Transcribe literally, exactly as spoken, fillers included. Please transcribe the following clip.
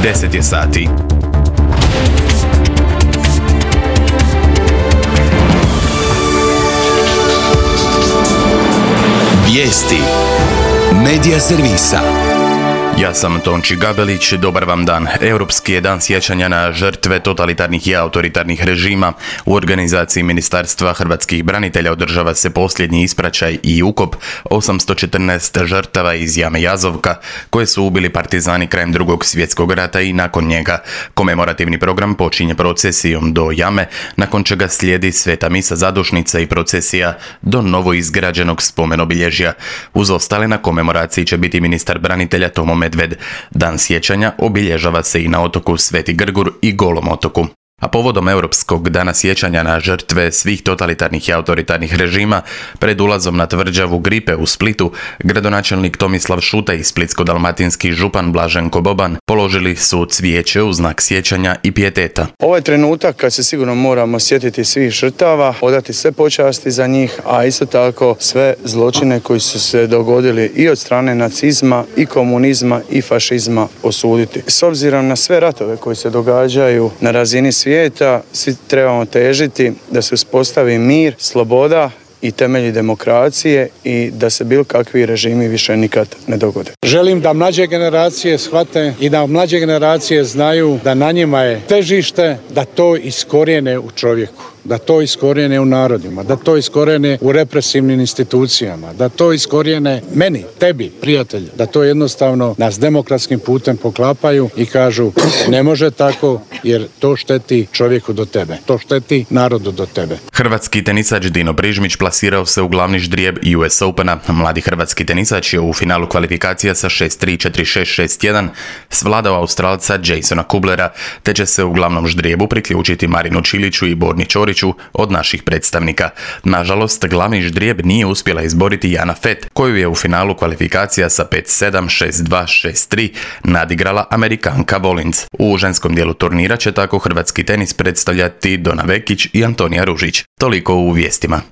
deset je sati. Vijesti Medija servisa. Ja sam Tonči Gabelić, dobar vam dan. Europski je dan sjećanja na žrtve totalitarnih i autoritarnih režima. U organizaciji Ministarstva hrvatskih branitelja održava se posljednji ispraćaj i ukop osamsto četrnaest žrtava iz jame Jazovka, koje su ubili partizani krajem drugog svjetskog rata i nakon njega. Komemorativni program počinje procesijom do jame, nakon čega slijedi sveta misa zadušnica i procesija do novo izgrađenog spomenobilježja. Uz ostale na komemoraciji će biti ministar branitelja Tomo Medved. Dan sjećanja obilježava se i na otoku Sveti Grgur i Golom otoku. A povodom Europskog dana sjećanja na žrtve svih totalitarnih i autoritarnih režima, pred ulazom na tvrđavu Gripe u Splitu, gradonačelnik Tomislav Šuta i splitsko-dalmatinski župan Blaženko Boban položili su cvijeće u znak sjećanja i pijeteta. Ovo je trenutak kad se sigurno moramo sjetiti svih žrtava, odati sve počasti za njih, a isto tako sve zločine koji su se dogodili i od strane nacizma, i komunizma, i fašizma osuditi. S obzirom na sve ratove koji se događaju na razini svijeta, svi trebamo težiti da se uspostavi mir, sloboda i temelji demokracije i da se bilo kakvi režimi više nikad ne dogode. Želim da mlađe generacije shvate i da mlađe generacije znaju da na njima je težište da to iskorijene u čovjeku, da to iskorijene u narodima, da to iskorijene u represivnim institucijama, da to iskorijene meni, tebi, prijatelj, da to jednostavno nas demokratskim putem poklapaju i kažu ne može tako jer to šteti čovjeku do tebe, to šteti narodu do tebe. Hrvatski tenisač Dino Brižmić plasirao se u glavni ždrijeb U S Opena. Mladi hrvatski tenisač je u finalu kvalifikacija sa šest tri, četiri šest, šest jedan svladao Australca Jasona Kublera, te će se u glavnom ždrijebu priključiti Marinu Čiliću i Borni Ćoriću od naših predstavnika. Nažalost, glavni ždrijeb nije uspjela izboriti Jana Fett, koju je u finalu kvalifikacija sa pet sedam, šest dva, šest tri nadigrala Amerikanka Volins. U ženskom dijelu turnira će tako hrvatski tenis predstavljati Dona Vekić i Antonija Ružić. Toliko u vijestima.